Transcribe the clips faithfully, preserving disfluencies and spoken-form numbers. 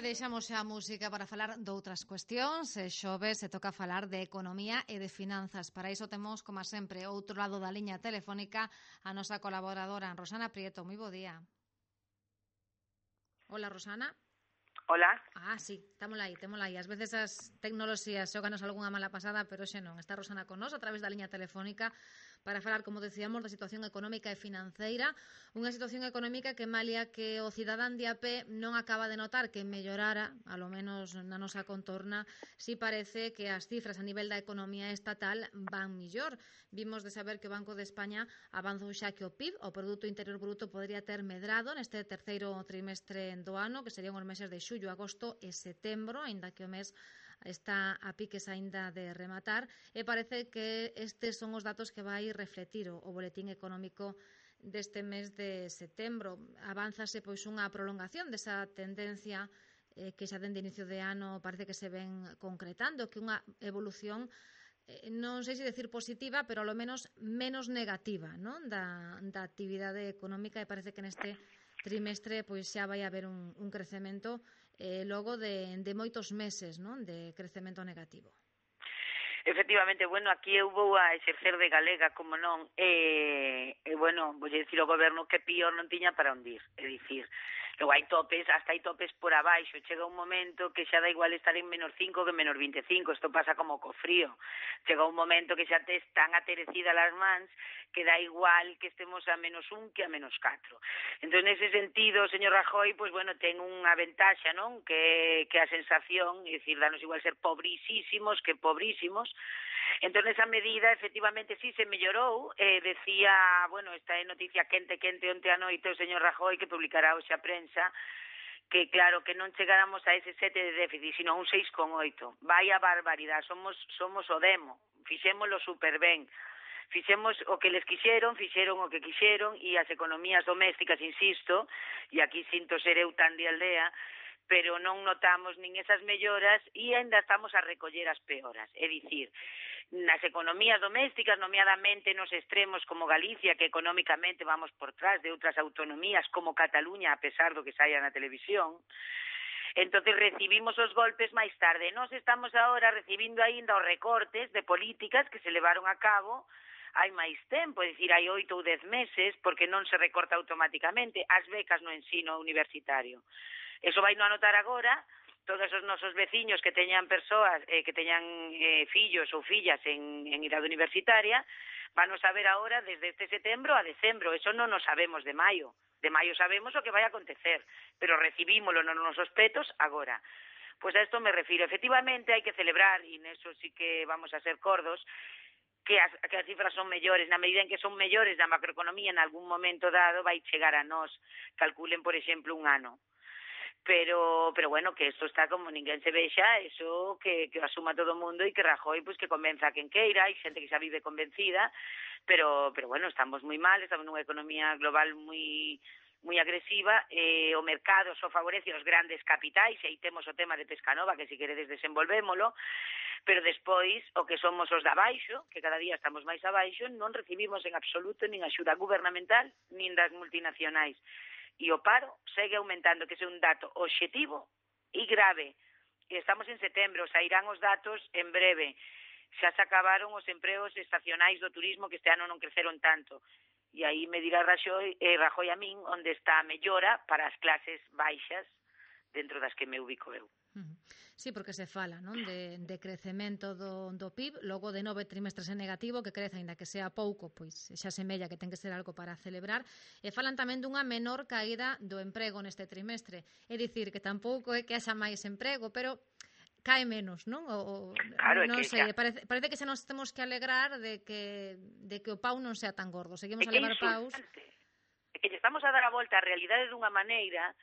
deixamos xa a música para falar doutras cuestións. E xoves se toca falar de economía e de finanzas. Para iso temos, como sempre, outro lado da liña telefónica a nosa colaboradora, Rosana Prieto. Moi bo día. Hola, Rosana. Hola. Ah, sí, estámola aí, témola aí. Ás veces as tecnoloxías xoganos algunha mala pasada, pero xe non. Está Rosana con nós a través da liña telefónica para falar, como decíamos, da situación económica e financeira. Unha situación económica que, malia que o cidadán de a pé non acaba de notar que mellorara, a lo menos na nosa contorna, si parece que as cifras a nivel da economía estatal van millor. Vimos de saber que o Banco de España avanzou xa que o P I B, o Produto Interior Bruto, podría ter medrado neste terceiro trimestre do ano, que serían os meses de xullo, agosto e setembro, aínda que o mes está a piques aínda de rematar, e parece que estes son os datos que vai refletir o boletín económico deste mes de setembro. Avánzase pois unha prolongación desa tendencia eh, que xa dende inicio de ano parece que se ven concretando, que unha evolución eh, non sei se decir positiva, pero ao menos menos negativa, non? Da, da actividade económica, e parece que neste trimestre pois xa vai haber un, un crecemento eh, logo de, de moitos meses, non? De crecemento negativo. Efectivamente, bueno, aquí eu vou a exercer de galega, como non, e, e bueno, vou dicir ao goberno que pior non tiña para ondir, é dicir, logo hai topes, hasta hai topes por abaixo, chega un momento que xa da igual estar en menos cinco que en menos vinte e cinco, isto pasa como co frío, chega un momento que xa te están aterecidas as mans, que da igual que estemos a menos un que a menos catro. Entón, nese sentido, o señor Rajoy, pois, bueno, ten unha ventaxa, non? Que, que a sensación, é dicir, danos igual ser pobrísimos que pobrísimos. Entón, esa medida, efectivamente, sí se mellorou. Eh, decía, bueno, esta é noticia quente, quente, onte a noite o señor Rajoy, que publicará hoxe a prensa, que claro, que non chegáramos a ese sete de déficit, sino a un seis coma oito. Vai a barbaridade, somos, somos o demo, fixémolo super ben. Fixemos o que les quixeron, fixeron o que quixeron, e as economías domésticas, insisto, e aquí sinto ser eu tan de aldea, pero non notamos nin esas melloras e ainda estamos a recoller as peoras. É dicir, nas economías domésticas, nomeadamente nos extremos como Galicia, que económicamente vamos por trás de outras autonomías como Cataluña, a pesar do que saia na televisión, entonces recibimos os golpes máis tarde. Nós estamos agora recibindo aínda os recortes de políticas que se levaron a cabo hai máis tempo, é dicir, hai oito ou dez meses, porque non se recorta automáticamente as becas no ensino universitario. Eso vai non anotar agora, todos os nosos veciños que teñan persoas, eh, que teñan eh, fillos ou fillas en, en idade universitaria, van a saber agora desde este setembro a decembro, eso non nos sabemos de maio. De maio sabemos o que vai a acontecer, pero recibímolo nos nosos petos agora. Pois a isto me refiro. Efectivamente, hai que celebrar, e neso sí que vamos a ser cordos, que as, que as cifras son mellores, na medida en que son mellores da macroeconomía en algún momento dado vai chegar a nós, calculen, por exemplo, un ano. Pero pero bueno, que isto está como ninguén se vexa, eso que, que asuma todo o mundo, e que Rajoy pues que convenza a quen queira, hai xente que xa vive convencida, pero pero bueno, estamos moi mal, estamos nunha economía global moi moi agresiva, eh, o mercado só favorece os grandes capitais, e aí temos o tema de Pescanova, que si queredes desenvolvémolo, pero despois o que somos os de abaixo, que cada día estamos máis abaixo, non recibimos en absoluto nin axuda gubernamental nin das multinacionais. E o paro segue aumentando, que é un dato obxectivo e grave. E estamos en setembro, sairán os datos en breve. Xa se acabaron os empregos estacionais do turismo, que este ano non creceron tanto. E aí me dirá Rajoy, eh, Rajoy a min onde está a mellora para as clases baixas dentro das que me ubico eu. Sí, porque se fala, non, de, de crecemento do, do P I B, logo de nove trimestres en negativo, que crece, aínda que sea pouco, pois xa semella que ten que ser algo para celebrar, e falan tamén dunha menor caída do emprego neste trimestre. É dicir, que tampouco é que haxa máis emprego, pero cae menos, non? O, claro, non que sei, xa... parece, parece que xa nos temos que alegrar de que, de que o pau non sea tan gordo. Seguimos é a levar paus. É que estamos a dar a volta á realidade dunha maneira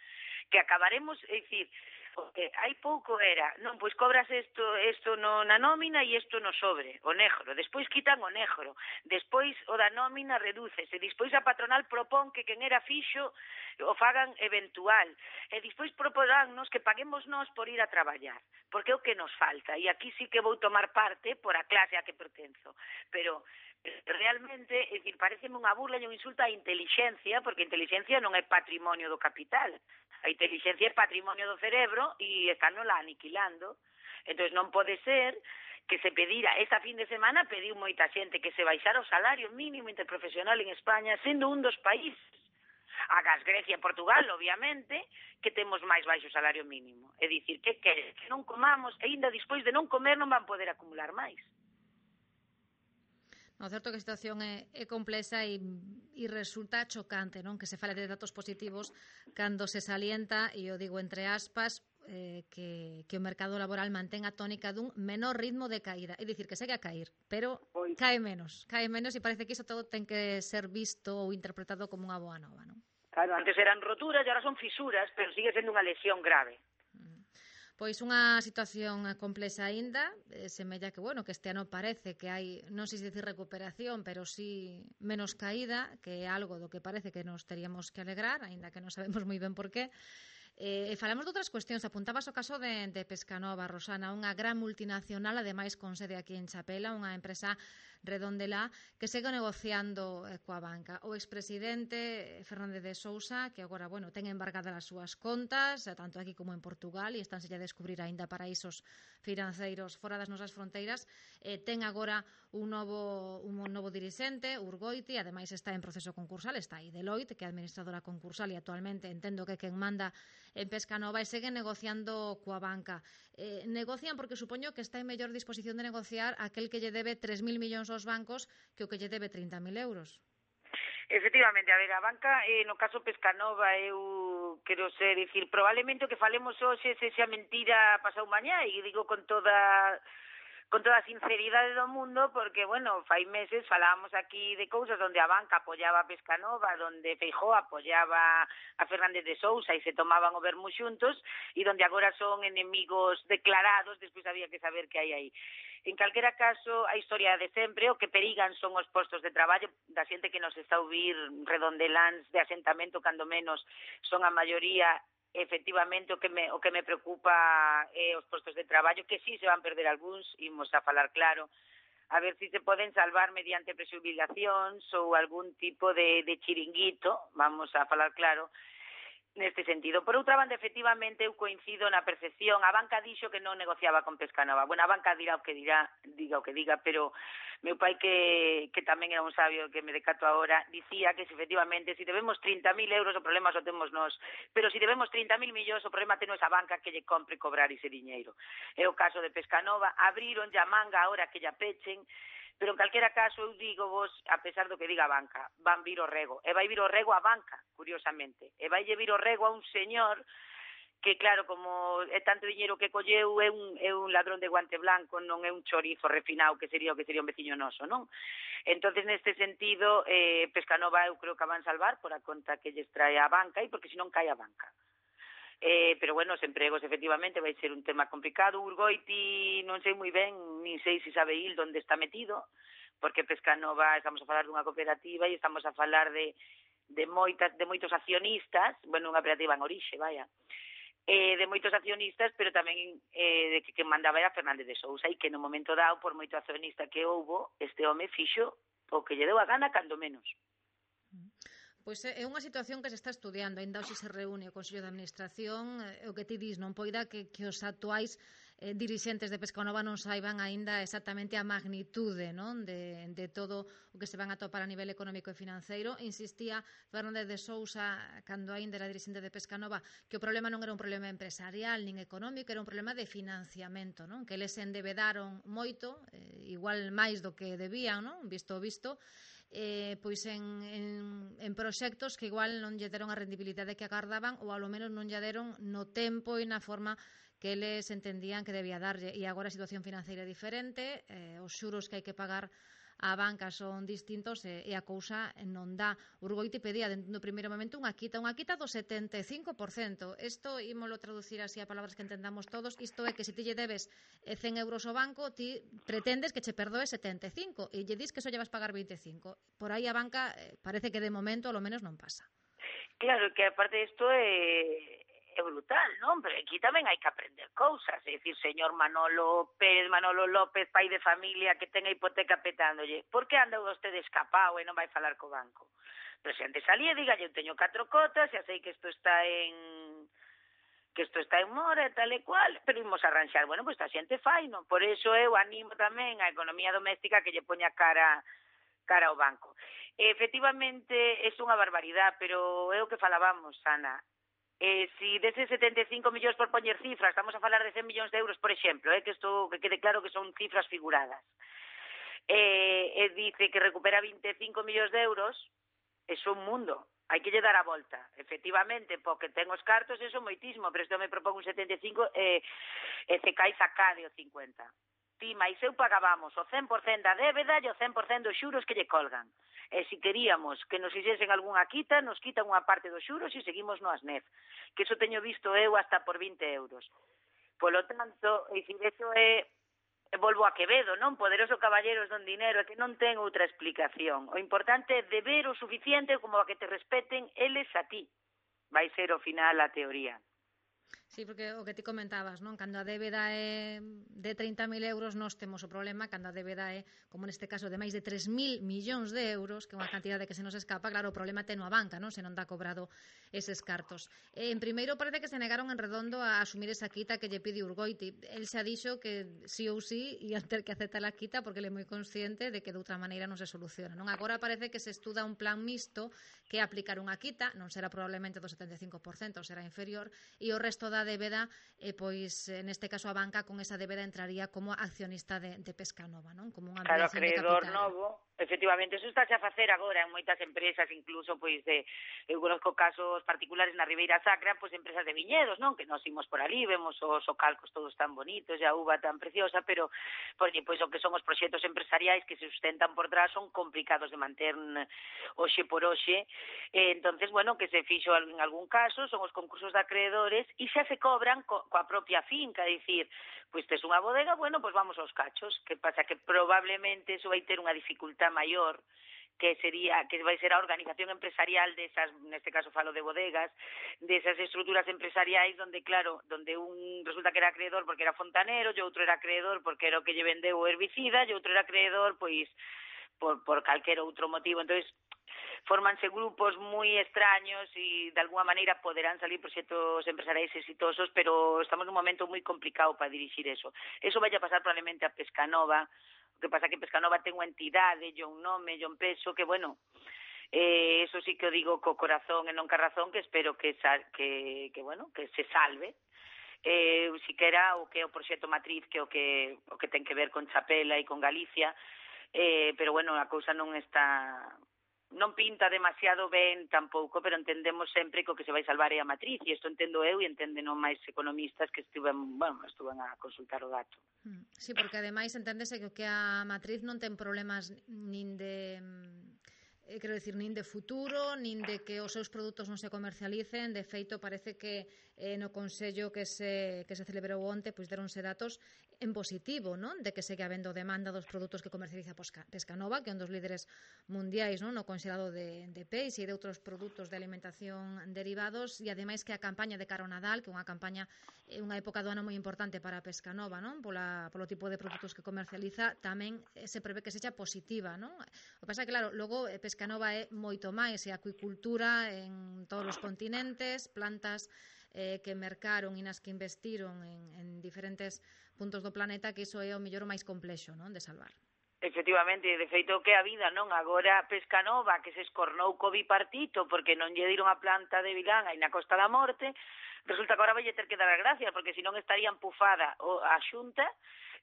que acabaremos, é dicir, porque hai pouco era, non, pois cobras isto, isto no, na nómina e isto no sobre, o negro, despois quitan o negro, despois o da nómina redúcese, despois a patronal propón que quen era fixo o fagan eventual, e despois proporannos que paguemos nós por ir a traballar, porque é o que nos falta, e aquí sí que vou tomar parte por a clase a que pertenzo, pero realmente, é dicir, pareceme unha burla e un insulto á intelixencia, porque a intelixencia non é patrimonio do capital. A intelixencia é patrimonio do cerebro e están la aniquilando. Entón non pode ser que se pedira, esta fin de semana pediu moita xente que se baixara o salario mínimo interprofesional en España, sendo un dos países, agas Grecia e Portugal, obviamente, que temos máis baixo salario mínimo. É dicir, que queres? Que non comamos, e ainda despois de non comer non van poder acumular máis. No, certo que a situación é, é complexa e, e resulta chocante, non? Que se fale de datos positivos cando se salienta, e eu digo entre aspas, eh, que, que o mercado laboral mantén a tónica dun menor ritmo de caída. É dicir, que segue a cair, pero pois cae menos. Cae menos e parece que iso todo ten que ser visto ou interpretado como unha boa nova, non? Claro, antes eran roturas e agora son fisuras, pero sigue sendo unha lesión grave. Pois unha situación complexa aínda, eh, semella que, bueno, que este ano parece que hai, non sei se dicir recuperación, pero sí menos caída, que é algo do que parece que nos teríamos que alegrar, aínda que non sabemos moi ben por qué. Eh, falamos de outras cuestións, apuntabas o caso de, de Pescanova, Rosana, unha gran multinacional, ademais con sede aquí en Chapela, unha empresa redondelá, que segue negociando eh, coa banca. O expresidente Fernández de Sousa, que agora, bueno, ten embargadas as súas contas, tanto aquí como en Portugal, e estánse a descubrir aínda paraísos financeiros fora das nosas fronteiras, eh, ten agora un novo, un novo dirixente, Urgoiti, ademais está en proceso concursal, está aí Deloitte, que é administradora concursal e actualmente entendo que quen manda en Pescanova, e seguen negociando coa banca. Eh, negocian porque supoño que está en mellor disposición de negociar aquel que lle debe tres mil millóns aos bancos que o que lle debe trinta mil euros. Efectivamente, a ver, a banca, eh, no caso Pescanova, eu quero ser, dicir, probablemente o que falemos hoxe se xa mentira pasado mañá, e digo con toda con toda a sinceridade do mundo, porque, bueno, fai meses falábamos aquí de cousas onde a banca apoiaba a Pescanova, onde Feijóo apoiaba a Fernández de Sousa e se tomaban o vermú xuntos, e onde agora son enemigos declarados, despois había que saber que hai aí. En calquera caso, a historia de sempre, o que perigan son os postos de traballo da xente que nos está a ouvir redondeláns de asentamento, cando menos son a maioría. Efectivamente, o que me o que me preocupa é os postos de traballo, que sí se van perder algúns, imos a falar claro, a ver si se poden salvar mediante presubilacións ou algún tipo de, de chiringuito, vamos a falar claro, neste sentido. Por outra banda, efectivamente, eu coincido na percepción. A banca dixo que non negociaba con Pescanova. Bueno, a banca dirá o que dirá, diga o que diga, pero meu pai, que, que tamén era un sabio, que me decato agora, dicía que, efectivamente, se debemos trinta mil euros, o problema só temos nós. Pero se debemos trinta mil millóns, o problema ten esa banca que lle compre cobrar ese diñeiro. É o caso de Pescanova. Abriron a manga ahora que lla pechen, pero en calquera caso eu digo vos, a pesar do que diga a banca, van vir o rego, e vai vir o rego a banca, curiosamente, e vai vir o rego a un señor que, claro, como é tanto diñeiro que colleu, é un, é un ladrón de guante blanco, non é un chorizo refinado que sería o que sería un veciño noso, non? Entonces, neste sentido, eh, Pescanova eu creo que van salvar por a conta que lles trae a banca, e porque senón cae a banca. Eh, pero bueno, os empregos efectivamente vai ser un tema complicado. Urgoiti non sei moi ben, nin sei se sabe il onde está metido, porque Pescanova estamos a falar dunha cooperativa e estamos a falar de de moitas de moitos accionistas, bueno, unha cooperativa en orixe, vaya. Eh, de moitos accionistas, pero tamén eh, de que que mandaba era Fernández de Sousa, e que no momento dado, por moito accionista que houbo, este home fixo o que lle deu a gana, cando menos. Pois é unha situación que se está estudiando, ainda hoxe se reúne o Consello de Administración, e o que ti dis, non poida que, que os actuais eh, dirixentes de Pescanova non saiban aínda exactamente a magnitude, non, de, de todo o que se van a topar a nivel económico e financeiro. Insistía Fernández de Sousa, cando aínda era dirixente de Pescanova, que o problema non era un problema empresarial nin económico, era un problema de financiamento, non, que eles se endebedaron moito, eh, igual máis do que debían, non, visto o visto, Eh, pois en, en, en proxectos que igual non lle deron a rendibilidade que agardaban, ou ao menos non lle deron no tempo e na forma que eles entendían que debía darlle. E agora a situación financeira é diferente, eh, os xuros que hai que pagar a banca son distintos, e, e a cousa non dá. Urgoiti pedía no primeiro momento unha quita, unha quita do setenta e cinco por cento. Isto, ímolo traducir así a palabras que entendamos todos, isto é que se ti lle debes cen euros ao banco, ti pretendes que che perdoe setenta e cinco, e lle dis que só lle vas pagar vinte e cinco. Por aí a banca eh, parece que de momento, ao menos, non pasa. Claro, que aparte isto é... é brutal, non? Pero aquí tamén hai que aprender cousas, é dicir, señor Manolo Pérez, Manolo López, pai de familia que ten a hipoteca petándolle, por que anda vostede escapado e non vai falar co banco? Pero se antes salía, diga, eu teño catro cotas, xa sei que isto está en que isto está en mora e tal e cual, pero imos arranxar. Bueno, pois pues, a xente fai, non? Por iso eu animo tamén a economía doméstica que lle poña cara cara ao banco. E, efectivamente, é unha barbaridade, pero é o que falábamos, Ana. Eh, si deses setenta e cinco millóns por poñer cifras, estamos a falar de cen millóns de euros, por exemplo, eh, que isto que quede claro que son cifras figuradas. Eh, e dice que recupera vinte e cinco millóns de euros, é un mundo. Hai que lle dar a volta. Efectivamente, porque ten os cartos, eso moitísimo, pero isto me propón un setenta e cinco e, e se cai sacade o cincuenta. Ti, máis eu pagábamos o cen por cento da débeda e o cen por cento dos xuros que lle colgan. E se queríamos que nos fixesen algunha quita, nos quitan unha parte dos xuros e seguimos no ASNEF. Que iso teño visto eu hasta por vinte euros. Polo tanto, e se iso é, volvo a Quevedo, non? Poderoso caballeros don dinero, é que non ten outra explicación. O importante é deber o suficiente como a que te respeten eles a ti. Vai ser ao final a teoría. Sí, porque o que ti comentabas, non? Cando a débeda é de trinta mil euros, nós temos o problema, cando a débeda é, como neste caso, de máis de tres mil millóns de euros, que é unha cantidade que se nos escapa, claro, o problema ten a banca, non? Se non dá cobrado eses cartos. Eh, en primeiro, parece que se negaron en redondo a asumir esa quita que lle pide Urgoiti. El xa dixo que sí ou sí ia ter que aceptar a quita porque ele é moi consciente de que de outra maneira non se soluciona, non? Agora parece que se estuda un plan mixto que é aplicar unha quita, non será probablemente do setenta e cinco por cento, será inferior, e o resto da débeda, eh, pois neste caso a banca con esa débeda entraría como accionista de, de Pescanova, non? Como unha claro, ampliación de acreedor capital. novo, efectivamente, eso está a facer agora en moitas empresas, incluso, pois, de, eu conozco casos particulares na Ribeira Sacra, pois, empresas de viñedos, non? Que nos imos por ali, vemos os ocalcos todos tan bonitos, e a uva tan preciosa, pero, pois, pois o que son os proxectos empresariais que se sustentan por trás son complicados de manter hoxe por hoxe, e, entonces, bueno, que se fixo en algún caso, son os concursos de acreedores, e xa se cobran co, coa propia finca, dicir, pois tes unha bodega, bueno, pois vamos aos cachos. Que pasa que probablemente iso vai ter unha dificultad maior, que sería que vai ser a organización empresarial desas, neste caso falo de bodegas, desas estruturas empresariais donde, claro, donde un resulta que era acreedor porque era fontanero, e outro era acreedor porque era o que lle vendeu o herbicida, e outro era acreedor, pois, por, por calquer outro motivo. Entonces, formanse grupos moi extraños e de alguma maneira poderán salir proxectos empresariais exitosos, pero estamos nun momento moi complicado para dirixir eso. Eso vai a pasar probablemente a Pescanova, o que pasa que Pescanova ten unha entidade, e un nome, e un peso, que, bueno, eh, eso sí que o digo co corazón e non ca razón, que espero que, que, que, bueno, que se salve. Eh, siquera o que é o proxecto matriz, que o que, o que ten que ver con Chapela e con Galicia, eh, pero, bueno, a cousa non está... non pinta demasiado ben tampouco, pero entendemos sempre que o que se vai salvar é a matriz, e isto entendo eu e entenden non máis economistas que estiven, bueno, estuven a consultar o dato. Sí, porque ademais enténdese que a matriz non ten problemas nin de... Eh, quero dicir, nin de futuro, nin de que os seus produtos non se comercialicen. De feito, parece que eh, no Consello que se, que se celebrou onte, pois deronse datos en positivo, non? De que segue habendo demanda dos produtos que comercializa Pescanova, que é un dos líderes mundiais, non? No conxelado de, de peixe e de outros produtos de alimentación derivados, e ademais que a campaña de cara ao Nadal, que é unha campaña, é unha época do ano moi importante para Pescanova, non? Pola, polo tipo de produtos que comercializa, tamén se prevé que sexa positiva, non? O que pasa é que, claro, logo Pescanova é moito máis, é acuicultura en todos os continentes, plantas eh, que mercaron e nas que investiron en, en diferentes puntos do planeta, que iso é o mellor máis complexo, non? De salvar. Efectivamente, de feito que a vida, non? Agora Pescanova, que se escornou co bipartito porque non lle diron a planta de Vilán aí na Costa da Morte, resulta que agora vai ter que dar as gracias, porque senón estaría empufada a Xunta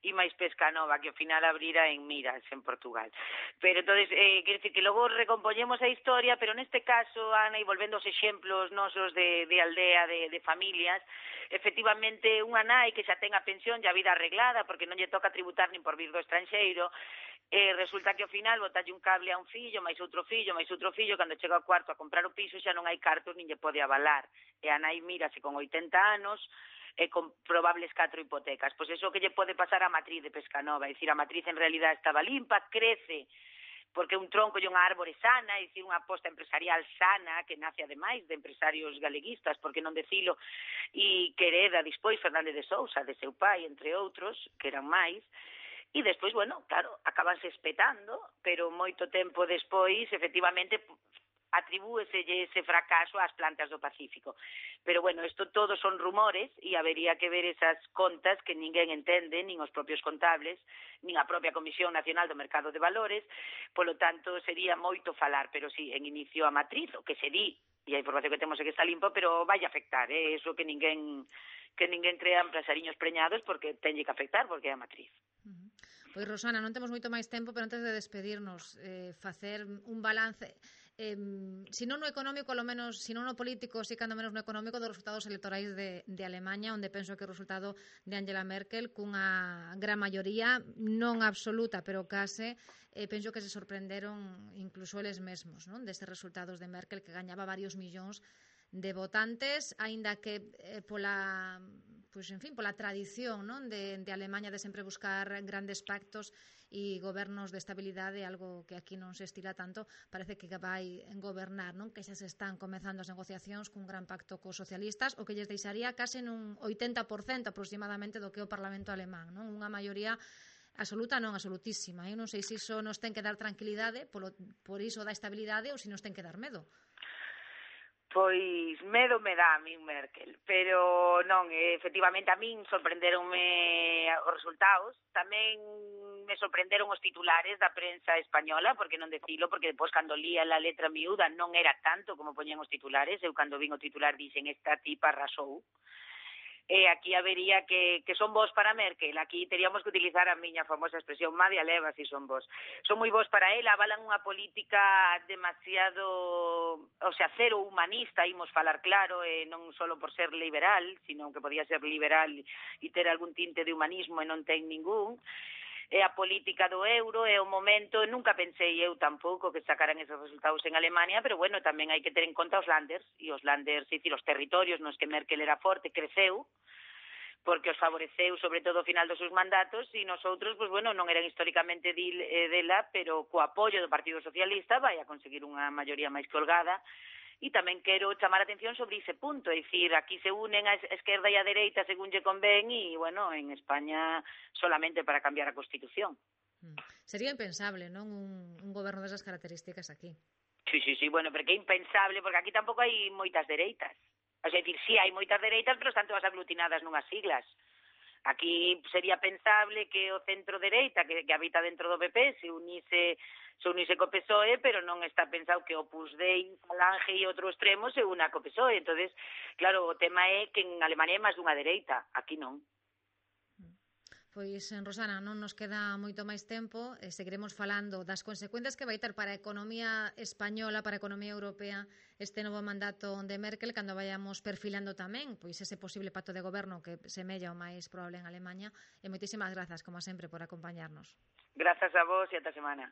e máis Pescanova, que ao final abrira en Miras, en Portugal. Pero, entonces, eh, quer decir que logo recompoñemos a historia, pero neste caso, Ana, e volvendo aos exemplos nosos de, de aldea, de, de familias, efectivamente, unha nai que xa ten a pensión e a vida arreglada, porque non lle toca tributar nin por vir do estranxeiro, eh, resulta que ao final botalle un cable a un fillo, máis outro fillo, máis outro fillo, cando chega ao cuarto a comprar o piso xa non hai cartos nin lle pode avalar. E a nai mírase con oitenta anos, e con probables catro hipotecas. Pois iso que lle pode pasar a matriz de Pescanova, é dicir, a matriz en realidad estaba limpa, crece, porque un tronco e unha árbore sana, é dicir, unha aposta empresarial sana, que nace ademais de empresarios galeguistas, porque non decilo, e que hereda despois Fernández de Sousa, de seu pai, entre outros, que eran máis, e despois, bueno, claro, acabanse espetando, pero moito tempo despois, efectivamente, atribúeselle ese fracaso ás plantas do Pacífico. Pero, bueno, isto todo son rumores e habería que ver esas contas que ninguén entende, nin os propios contables, nin a propia Comisión Nacional do Mercado de Valores, polo tanto, sería moito falar, pero sí, en inicio a matriz, o que se di, e a información que temos é que está limpo, pero vai afectar, eh? Eso que ninguén que ninguén crea empresariños preñados, porque tenlle que afectar, porque é a matriz. Uh-huh. Pois, Rosana, non temos moito máis tempo, pero antes de despedirnos, eh, facer un balance, eh, si non no económico, lo menos, si non no político, si cando menos no económico, dos resultados electorais de, de Alemanha, onde penso que o resultado de Angela Merkel, cunha gran maioría, non absoluta, pero case, eh, penso que se sorprenderon incluso eles mesmos, non, destes resultados de Merkel, que gañaba varios millóns de votantes, aínda que eh, pola pois, en fin, pola tradición, non, de, de Alemanha de sempre buscar grandes pactos e gobernos de estabilidade, algo que aquí non se estila tanto, parece que vai gobernar, non, que xa se están comezando as negociacións cun gran pacto cos socialistas, o que lles deixaría case nun oitenta por cento aproximadamente do que é o Parlamento alemán, non, unha maioría absoluta, non absolutísima. Eu non sei se iso nos ten que dar tranquilidade polo, por iso da estabilidade ou se nos ten que dar medo. Pois medo me dá a min Merkel, pero non, efectivamente a min sorprenderonme os resultados, tamén me sorprenderon os titulares da prensa española, porque non decilo, porque depois cando lía a letra miúda non era tanto como poñían os titulares, eu cando vin o titular dixen esta tipa arrasou. E aquí habería que, que son vos para Merkel, aquí teríamos que utilizar a miña famosa expresión, Madia leva si son vos. Son moi vos para ela, avalan unha política demasiado, o sea, cero humanista, imos falar claro, e non só por ser liberal, sino que podía ser liberal e ter algún tinte de humanismo e non ten ningún. É a política do euro, é o momento, nunca pensei eu tampouco que sacaran esos resultados en Alemania, pero bueno, tamén hai que ter en conta os landers, e os landers, é dicir, os territorios nos que Merkel era forte, creceu, porque os favoreceu sobre todo ao final dos seus mandatos, e nosotros, pues bueno, non eran históricamente dela, pero co apoio do Partido Socialista vai a conseguir unha maioría máis que holgada. E tamén quero chamar a atención sobre ese punto, é dicir, aquí se unen a esquerda e a dereita según lle convén e, bueno, en España solamente para cambiar a Constitución. Sería impensable, non, un, un goberno desas características aquí. Sí, sí, sí, bueno, pero que é impensable, porque aquí tampouco hai moitas dereitas. O sea, é dicir, sí, hai moitas dereitas, pero están todas aglutinadas nunhas siglas. Aquí sería pensable que o centro-dereita, que, que habita dentro do P P, se unise se unise co P S O E, pero non está pensado que Opus Dei, Falange e outro extremo se una co P S O E. Entonces, claro, o tema é que en Alemania é máis dunha dereita, aquí non. Pois, Rosana, non nos queda moito máis tempo, eh, seguiremos falando das consecuencias que vai ter para a economía española, para a economía europea, este novo mandato de Merkel, cando vayamos perfilando tamén pois ese posible pacto de goberno que semella o máis probable en Alemania. E moitísimas grazas, como sempre, por acompañarnos. Grazas a vos e ata semana.